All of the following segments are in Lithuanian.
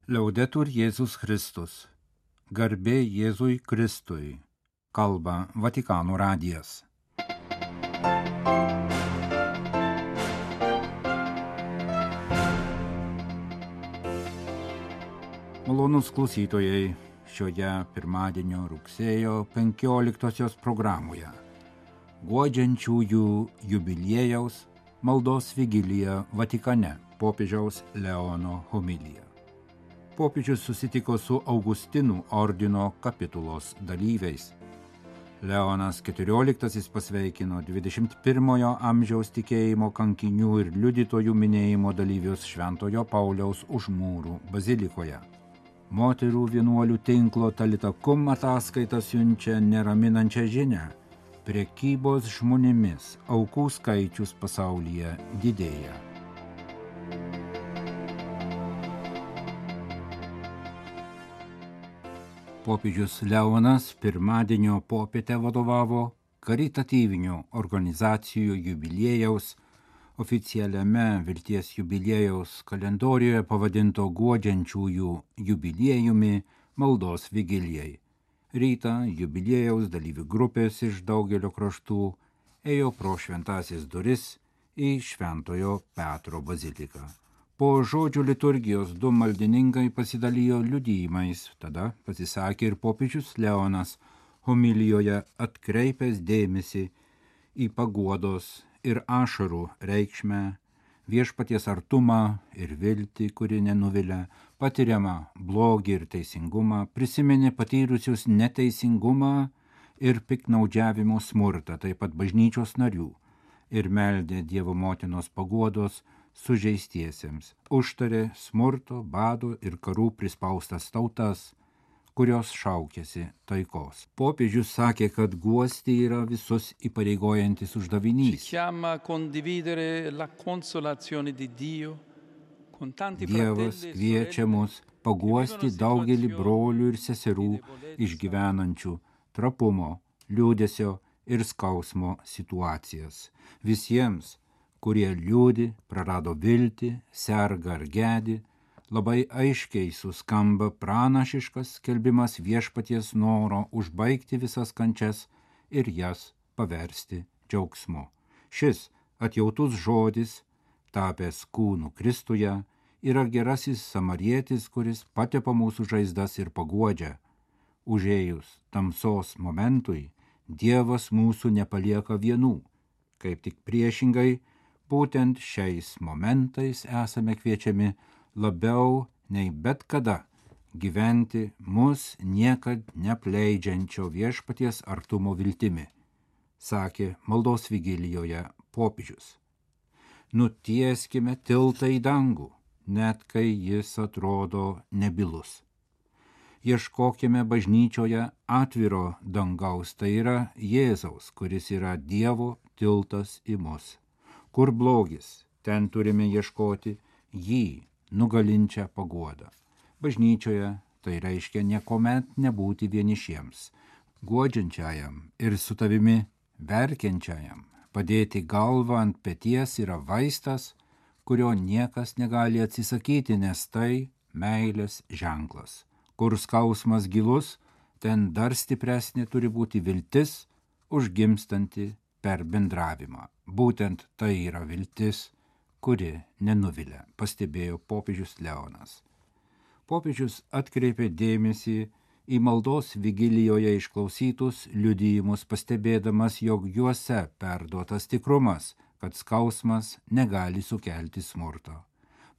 Liaudetur Jėzus Kristus. Garbė Jėzui Kristui. Kalba Vatikano radijas. Malonūs klausytojai, šioje pirmadienio rugsėjo 15 programoje guodžiančiųjų jubiliejaus maldos vigilija Vatikane, popiežiaus Leono homilija. Popiežius susitiko su Augustinų ordino kapitulos dalyviais. Leonas XIV pasveikino 21 amžiaus tikėjimo kankinių ir liudytojų minėjimo dalyvius Šventojo Pauliaus už mūrų bazilikoje. Moterų vienuolių tinklo Talita Kum ataskaita siunčia neraminančią žinią. Prekybos žmonėmis aukų skaičius pasaulyje didėja. Popiežius Leonas pirmadienio popietę vadovavo karitatyvinių organizacijų jubiliejaus, oficialiame vilties jubiliejaus kalendorijoje pavadinto guodžiančiųjų jubiliejumi maldos vigilijai. Rytą jubiliejaus dalyvių grupės iš daugelio kraštų ėjo pro šventąsias duris į Šventojo Petro baziliką. Po žodžių liturgijos du maldininkai pasidalijo liudijimais, tada pasisakė ir popiežius Leonas, homilijoje atkreipęs dėmesį į paguodos ir ašarų reikšmę, viešpaties artumą ir viltį, kuri nenuvilia, patiriamą blogį ir teisingumą, prisiminė patyrusius neteisingumą ir piktnaudžiavimo smurtą, taip pat bažnyčios narių, ir meldė Dievo motinos paguodos sužeistiesiems, užtarė smurto, bado ir karų prispaustas tautas, kurios šaukėsi taikos. Popiežius sakė, kad guosti yra visus įpareigojantis uždavinys. Dievas kviečia mus paguosti daugelį brolių ir seserų išgyvenančių trapumo, liūdesio ir skausmo situacijas. Visiems, kurie liūdi, prarado viltį, serga ar gedi, labai aiškiai suskamba pranašiškas skelbimas viešpaties noro užbaigti visas kančias ir jas paversti džiaugsmu. Šis atjautus žodis, tapęs kūnu Kristuje, yra gerasis samarietis, kuris patepa mūsų žaizdas ir paguodžia. Užėjus tamsos momentui, Dievas mūsų nepalieka vienų, kaip tik priešingai, būtent šiais momentais esame kviečiami labiau nei bet kada gyventi mus niekad neapleidžiančio viešpaties artumo viltimi, sakė maldos vigilijoje popiežius. Nutieskime tiltą į dangų, net kai jis atrodo nebylus. Ieškokime bažnyčioje atviro dangaus, tai yra Jėzaus, kuris yra Dievo tiltas į mus. Kur blogis, ten turime ieškoti jį nugalinčią paguodą. Bažnyčioje tai reiškia niekuomet nebūti vienišiems, guodžiančiajam ir su tavimi verkiančiajam. Padėti galvą ant peties yra vaistas, kurio niekas negali atsisakyti, nes tai meilės ženklas. Kur skausmas gilus, ten dar stipresnė turi būti viltis, užgimstanti per bendravimą. Būtent tai yra viltis, kuri nenuvilia, pastebėjo popiežius Leonas. Popiežius atkreipė dėmesį į maldos vigilijoje išklausytus liudijimus, pastebėdamas, jog juose perduotas tikrumas, kad skausmas negali sukelti smurto.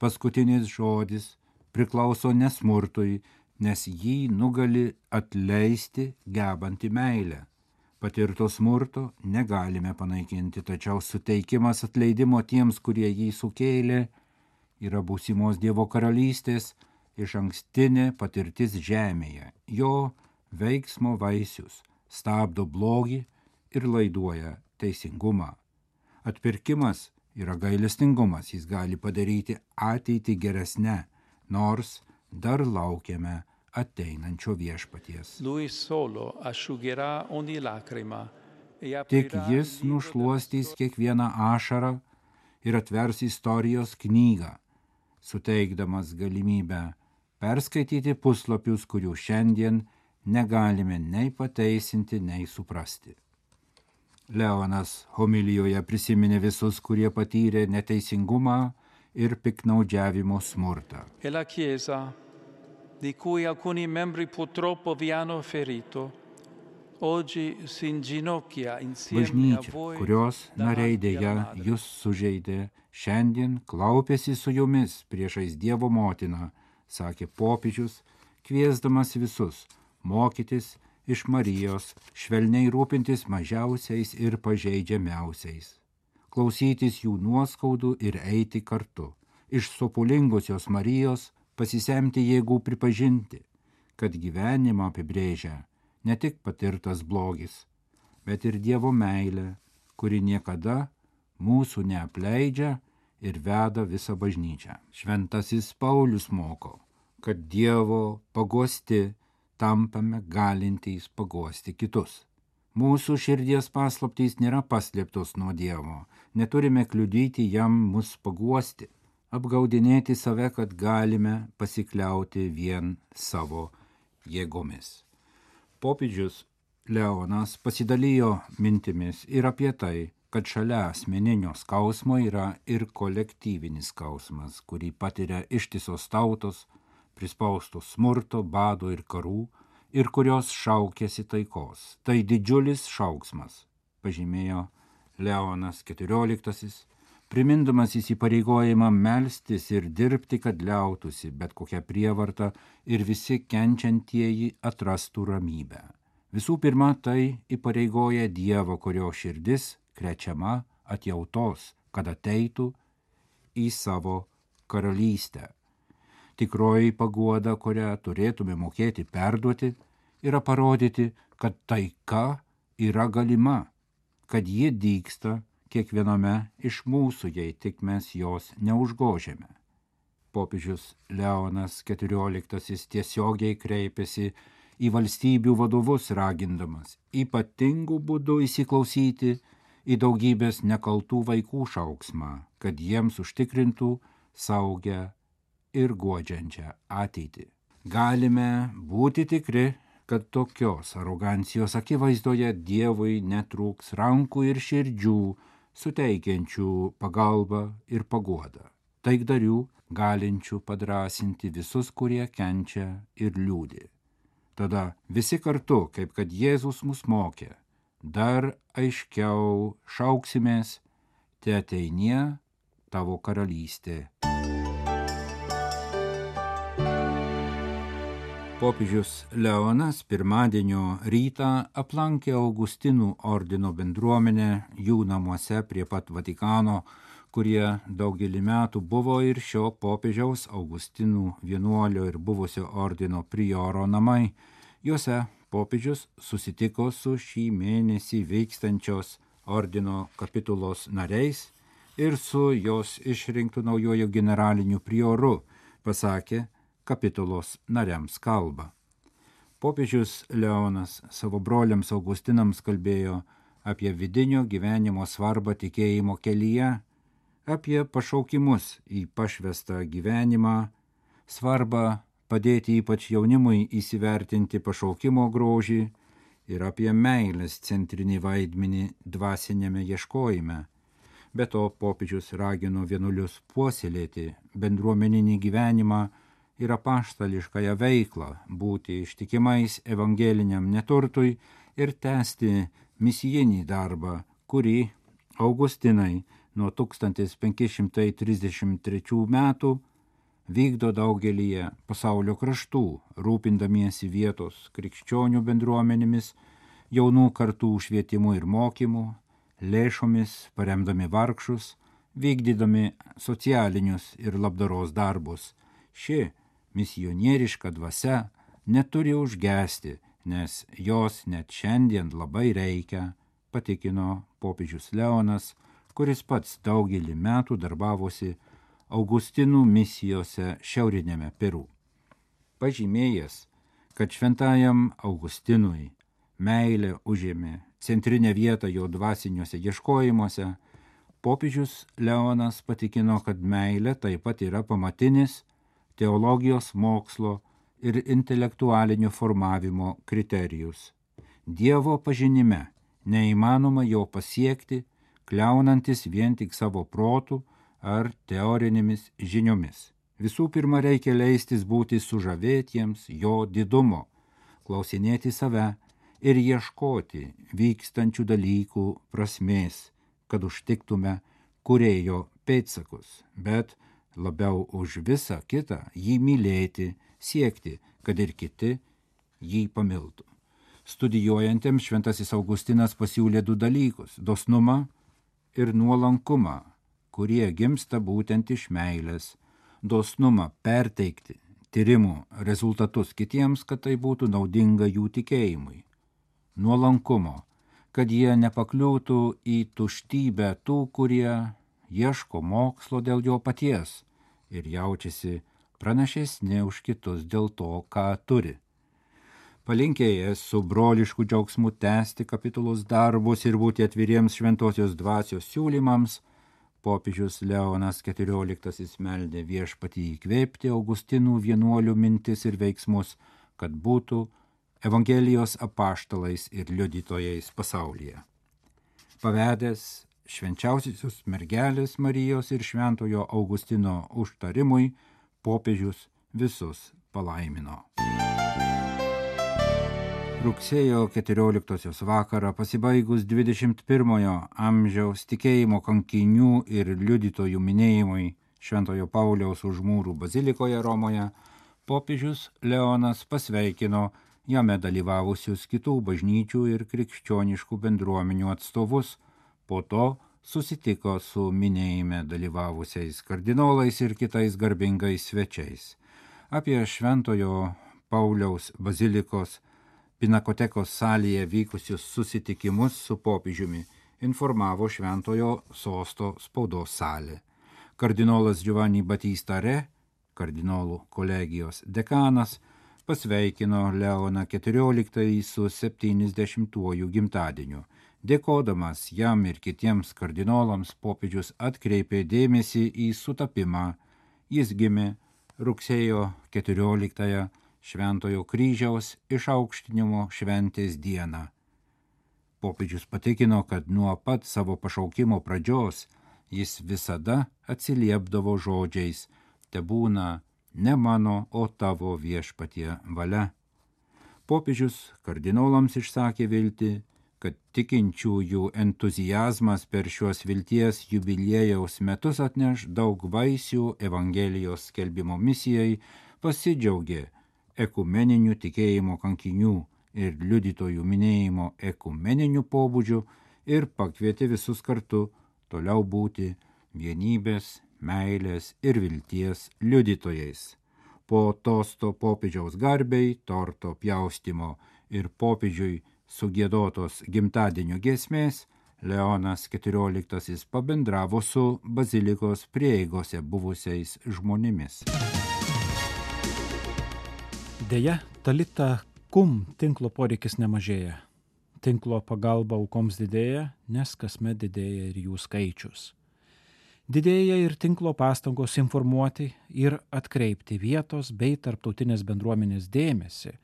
Paskutinis žodis priklauso ne smurtui, nes jį nugali atleisti gebanti meilę. Patirto smurto negalime panaikinti, tačiau suteikimas atleidimo tiems, kurie jį sukėlė, yra būsimos Dievo karalystės išankstinė patirtis žemėje. Jo veiksmo vaisius stabdo blogį ir laiduoja teisingumą. Atpirkimas yra gailestingumas, jis gali padaryti ateitį geresnę, nors dar laukiame ateinančio viešpaties. Tik jis nušluostys kiekvieną ašarą ir atvers istorijos knygą, suteikdamas galimybę perskaityti puslapius, kurių šiandien negalime nei pateisinti, nei suprasti. Leonas homilijoje prisiminė visus, kurie patyrė neteisingumą ir piknaudžiavimo smurtą. E la Chiesa, di cui alcuni membri purtroppo vi hanno ferito, oggi si inginocchia insieme a Bažnyčia, voi kurios nariai davanti dėja alla Madre. jūs sužeidė, šiandien klaupėsi su jumis priešais Dievo motiną, sakė popiežius, kviesdamas visus mokytis iš Marijos, švelniai rūpintis mažiausiais ir pažeidžiamiausiais, klausytis jų nuoskaudų ir eiti kartu, iš sopulingosios Marijos pasisemti jėgų pripažinti, kad gyvenimą apibrėžia ne tik patirtas blogis, bet ir Dievo meilė, kuri niekada mūsų neapleidžia ir veda visą bažnyčią. Šventasis Paulius moko, kad Dievo paguosti tampame galintys paguosti kitus. Mūsų širdies paslaptys nėra paslėptos nuo Dievo, neturime kliudyti jam mus paguosti, apgaudinėti save, kad galime pasikliauti vien savo jėgomis. Popiežius Leonas pasidalijo mintimis ir apie tai, kad šalia asmeninio skausmo yra ir kolektyvinis skausmas, kurį patiria ištisos tautos, prispaustos smurto, bado ir karų, ir kurios šaukėsi taikos. Tai didžiulis šauksmas, pažymėjo Leonas XIV, primindamas įsipareigojimą melstis ir dirbti, kad liautųsi bet kokią prievartą ir visi kenčiantieji atrastų ramybę. Visų pirma, tai įpareigoja Dievo, kurio širdis krečiama atjautos, kad ateitų į savo karalystę. Tikroji paguoda, kurią turėtume mokėti perduoti, yra parodyti, kad taika yra galima, kad ji dygsta kiekviename iš mūsų, jei tik mes jos neužgožiame. Popiežius Leonas XIV tiesiogiai kreipėsi į valstybių vadovus, ragindamas ypatingų būdų įsiklausyti į daugybės nekaltų vaikų šauksmą, kad jiems užtikrintų saugę ir guodžiančią ateitį. Galime būti tikri, kad tokios arogancijos akivaizdoje Dievui netrūks rankų ir širdžių, suteikiančių pagalbą ir paguodą, taikdarių galinčių padrąsinti visus, kurie kenčia ir liūdi. Tada visi kartu, kaip kad Jėzus mus mokė, dar aiškiau šauksimės, te ateinie tavo karalystė. Popiežius Leonas pirmadienio rytą aplankė Augustinų ordino bendruomenę jų namuose prie pat Vatikano, kurie daugelį metų buvo ir šio popiežiaus Augustinų vienuolio ir buvusio ordino prioro namai. Juose popiežius susitiko su šį mėnesį vykstančios ordino kapitulos nariais ir su jos išrinktu naujojo generaliniu prioru, pasakė kapitulos nariams kalbą. Popiežius Leonas savo broliams Augustinams kalbėjo apie vidinio gyvenimo svarbą tikėjimo kelyje, apie pašaukimus į pašvestą gyvenimą, svarbą padėti ypač jaunimui įsivertinti pašaukimo grožį ir apie meilės centrinį vaidmenį dvasinėme ieškojime. Be to popiežius ragino vienuolius puoselėti bendruomeninį gyvenimą ir apaštališkąją veiklą, būti ištikimais evangeliniam neturtui ir tęsti misijinį darbą, kurį Augustinai nuo 1533 metų vykdo daugelyje pasaulio kraštų, rūpindamiesi vietos krikščionių bendruomenėmis, jaunų kartų švietimu ir mokymu, lėšomis paremdami vargšus, vykdydami socialinius ir labdaros darbus. Ši misionieriška dvasia neturi užgesti, nes jos net šiandien labai reikia, patikino popiežius Leonas, kuris pats daugelį metų darbavosi Augustinų misijose šiaurinėme Peru. Pažymėjęs, kad šventajam Augustinui meilė užėmė centrinę vietą jo dvasiniuose ieškojimuose, popiežius Leonas patikino, kad meilė taip pat yra pamatinis teologijos mokslo ir intelektualinio formavimo kriterijus. Dievo pažinime neįmanoma jo pasiekti, kliaunantis vien tik savo protų ar teorinėmis žiniomis. Visų pirma, reikia leistis būti sužavėtiems jo didumo, klausinėti save ir ieškoti vykstančių dalykų prasmės, kad užtiktume kūrėjo pėdsakus, bet labiau už visą kitą jį mylėti, siekti, kad ir kiti jį pamiltų. Studijuojantiems šventasis Augustinas pasiūlė du dalykus – dosnumą ir nuolankumą, kurie gimsta būtent iš meilės. Dosnumą perteikti tyrimų rezultatus kitiems, kad tai būtų naudinga jų tikėjimui. Nuolankumo, kad jie nepakliūtų į tuštybę tų, kurie ieško mokslo dėl jo paties ir jaučiasi pranašesni už kitus dėl to, ką turi. Palinkėjęs su brolišku džiaugsmu tęsti kapitulos darbus ir būti atviriems šventosios dvasios siūlymams, popiežius Leonas XIV meldė Viešpatį įkvėpti Augustinų vienuolių mintis ir veiksmus, kad būtų Evangelijos apaštalais ir liudytojais pasaulyje. Pavedęs švenčiausiosios mergelės Marijos ir šventojo Augustino užtarimui, popiežius visus palaimino. Rugsėjo 14 vakarą pasibaigus 21 amžiaus tikėjimo kankinių ir liudytojų minėjimui Šventojo Pauliaus už mūrų bazilikoje Romoje, popiežius Leonas pasveikino jame dalyvavusius kitų bažnyčių ir krikščioniškų bendruomenių atstovus, po to susitiko su minėjime dalyvavusiais kardinolais ir kitais garbingais svečiais. Apie Šventojo Pauliaus bazilikos Pinakotekos salėje vykusius susitikimus su popiežiumi informavo Šventojo sosto spaudos salė. Kardinolas Giovanni Battista Re, kardinolų kolegijos dekanas, pasveikino Leoną XIV su 70-uoju gimtadieniu. Dėkodamas jam ir kitiems kardinolams, popiežius atkreipė dėmesį į sutapimą. Jis gimė rugsėjo 14 Šventojo kryžiaus išaukštinimo šventės dieną. Popiežius patikino, kad nuo pat savo pašaukimo pradžios jis visada atsiliepdavo žodžiais: tebūna ne mano, o tavo Viešpatie valia. Popiežius kardinolams išsakė viltį, kad tikinčiųjų entuzijazmas per šios vilties jubiliejaus metus atneš daug vaisių Evangelijos skelbimo misijai, pasidžiaugė ekumeninių tikėjimo kankinių ir liudytojų minėjimo ekumeniniu pobūdžiu ir pakvietė visus kartu toliau būti vienybės, meilės ir vilties liudytojais. Po tosto popiežiaus garbei, torto pjaustymo ir popiežiui sugiedotos gimtadienio giesmės, Leonas XIV pabendravo su bazilikos prieigose buvusiais žmonėmis. Deja, Talita Kum tinklo poreikis nemažėja. Tinklo pagalba aukoms didėja, nes kasmet didėja ir jų skaičius. Didėja ir tinklo pastangos informuoti ir atkreipti vietos bei tarptautinės bendruomenės dėmesį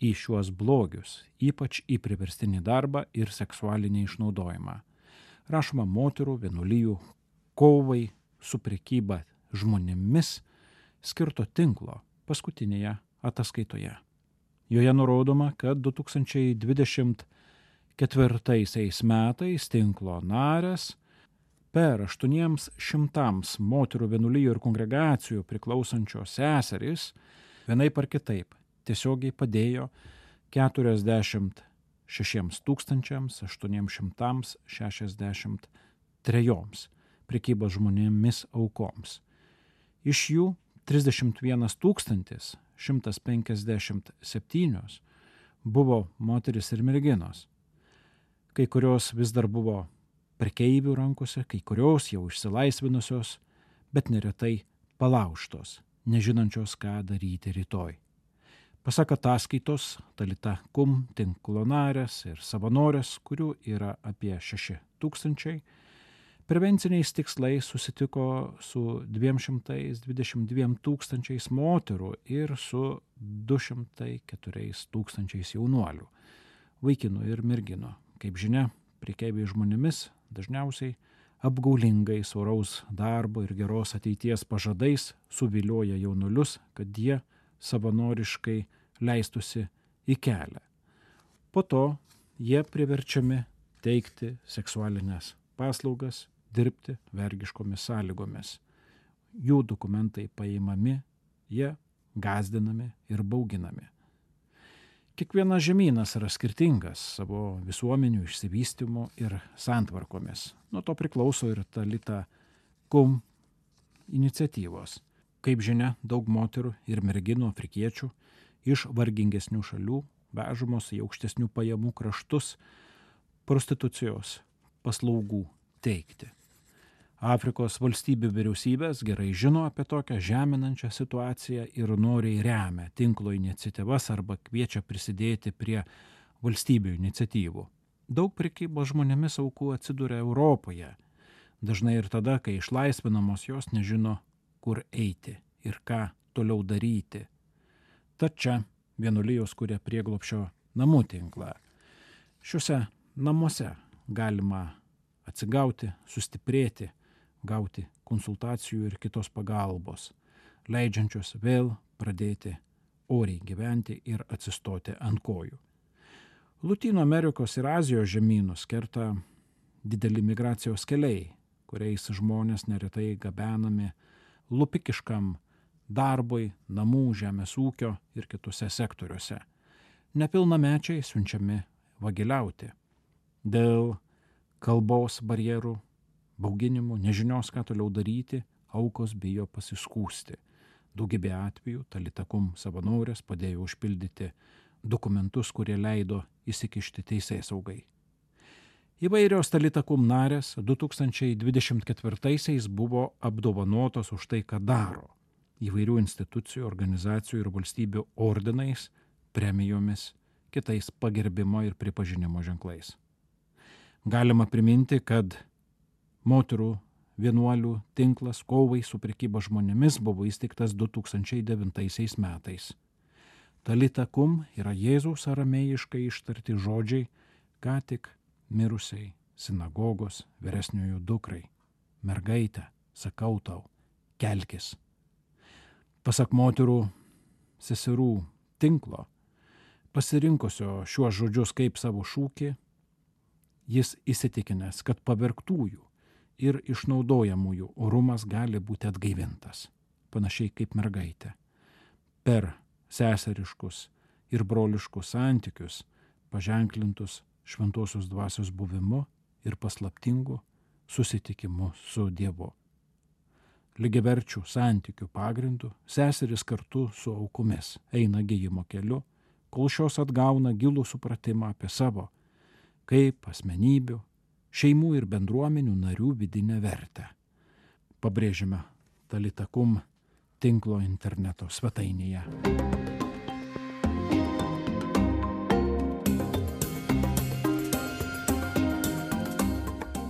į šiuos blogius, ypač į priverstinį darbą ir seksualinį išnaudojimą. Rašoma moterų vienuolijų kovai su prekyba žmonėmis skirto tinklo paskutinėje ataskaitoje. Joje nurodoma, kad 2024 metais tinklo narės per 800 moterų vienuolijų ir kongregacijų priklausančios seserys vienaip ar kitaip tiesiogiai padėjo 46 863 prekybos žmonėmis aukoms. Iš jų 31 157 buvo moteris ir merginos. Kai kurios vis dar buvo prekeivių rankose, kai kurios jau išsilaisvinusios, bet neretai palaužtos, nežinančios, ką daryti rytoj. Pasak ataskaitos, Talita Kum tinklo narės ir savanorės, kurių yra apie 6 000, Prevenciniais tikslais susitiko su 222 tūkstančiais moterų ir su 204 tūkstančiais jaunuolių, vaikinų ir merginų. Kaip žinia, prekeiviai žmonėmis dažniausiai apgaulingais oraus darbo ir geros ateities pažadais suvilioja jaunuolius, kad jie savanoriškai leistųsi į kelią. Po to jie priverčiami teikti seksualinės paslaugas, dirbti vergiškomis sąlygomis. Jų dokumentai paimami, jie gąsdinami ir bauginami. Kiekvienas žemynas yra skirtingas savo visuomenių išsivystymu ir santvarkomis. Nuo to priklauso ir Talita Kum iniciatyvos. Kaip žinia, daug moterų ir merginų afrikiečių iš vargingesnių šalių vežamos į aukštesnių pajamų kraštus prostitucijos paslaugų teikti. Afrikos valstybių vyriausybės gerai žino apie tokią žeminančią situaciją ir noriai remia tinklo iniciatyvas arba kviečia prisidėti prie valstybių iniciatyvų. Daug prekybos žmonėmis aukų atsiduria Europoje. Dažnai ir tada, kai išlaisvinamos, jos nežino, kur eiti ir ką toliau daryti. Tad čia vienuolijos kuria prieglobsčio namų tinklą. Šiuose namuose galima atsigauti, sustiprėti, gauti konsultacijų ir kitos pagalbos, leidžiančios vėl pradėti oriai gyventi ir atsistoti ant kojų. Lotynų Amerikos ir Azijos žemynus kerta dideli migracijos keliai, kuriais žmonės neretai gabenami lupikiškam darbui, namų, žemės ūkio ir kitose sektoriuose. Nepilnamečiai siunčiami vagiliauti. Dėl kalbos barjerų, bauginimų, nežinios, ką toliau daryti, aukos bijo pasiskųsti. Daugybė atvejų Talita Kum savanorės padėjo užpildyti dokumentus, kurie leido įsikišti teisėsaugai. Įvairios Talita Kum narės 2024 buvo apdovanotos už tai, ką daro. Įvairių institucijų, organizacijų ir valstybių ordinais, premijomis, kitais pagerbimo ir pripažinimo ženklais. Galima priminti, kad moterų vienuolių tinklas kovai su prekyba žmonėmis buvo įsteigtas 2009 metais. Talita Kum yra Jėzaus aramėjiškai ištarti žodžiai, ką tik mirusiai sinagogos vyresniojo dukrai. Mergaitė, sakau tau, kelkis. Pasak moterų seserų tinklo, pasirinkusio šiuos žodžius kaip savo šūkį, jis įsitikinęs, kad pavergtųjų ir išnaudojamųjų orumas gali būti atgaivintas, panašiai kaip mergaitė. Per seseriškus ir broliškus santykius, paženklintus šventosios dvasios buvimu ir paslaptingu susitikimu su Dievu. Lygiaverčių santykių pagrindų seseris kartu su aukomis eina gijimo keliu, kol šios atgauna gilų supratimą apie savo, kaip asmenybių, šeimų ir bendruomenių narių vidinę vertę. Pabrėžime Talita Kum tinklo interneto svetainėje.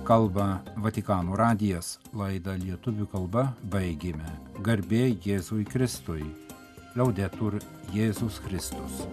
Kalba Vatikano radijas, laidą lietuvių kalba baigėme. Garbė Jėzui Kristui. Laudetur Jėzus Kristus.